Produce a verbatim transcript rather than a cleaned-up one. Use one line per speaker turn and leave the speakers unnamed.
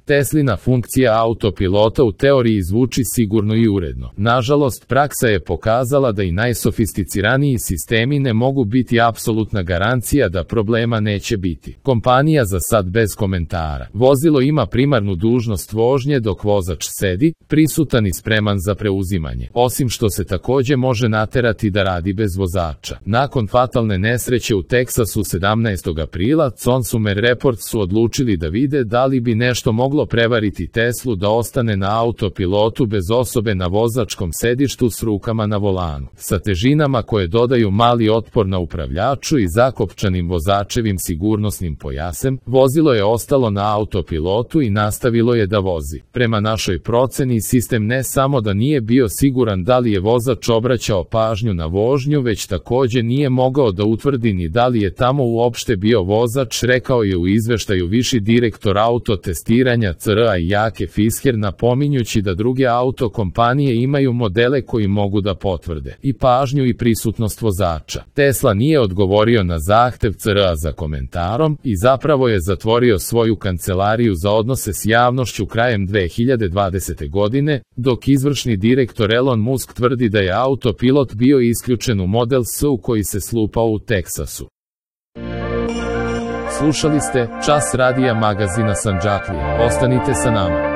Teslina funkcija autopilota u teoriji zvuči sigurno i uredno. Nažalost, praksa je pokazala da i najsofisticiraniji sistemi ne mogu biti apsolutna garancija da problema neće biti. Kompanija za sad bez komentara. Vozilo ima primarnu dužnost vožnje dok vozač sedi, prisutan i spreman za preuzimanje, osim što se takođe može naterati da radi bez vozača. Nakon fatalne nesreće u Teksasu sedamnaestog aprila, Consumer Reports su odlučili da vide da li bi nešto moglo prevariti Teslu da ostane na autopilotu bez osobe na vozačkom sedištu s rukama na volanu. Sa težinama koje dodaju mali otpor na upravljaču i zakopčanim vozačevim sigurnosnim pojasem, vozilo je ostalo na autopilotu i nastavilo je da vozi. Prema našoj proceni, sistem ne samo da nije bio siguran da li je vozač obraćao pažnju na vožnju, već takođe nije mogao da utvrdi ni da li je tamo uopšte bio vozač, rekao je u izveštaju viši direktor autotestiranja C R A Jake Fisker, napominjući da druge auto kompanije imaju modele koji mogu da potvrde i pažnju i prisutnost vozača. Tesla nije odgovorio na zahtev C R A za komentarom i zapravo je zatvorio svoju kancelariju za odnose s javnošću krajem dve hiljade dvadesete. godine, dok izvršni direktor Elon Musk tvrdi da je autopilot bio isključen u Model S koji se slupao u Teksasu. Slušali ste Čas radija magazina Sandžaklija. Ostanite sa nama.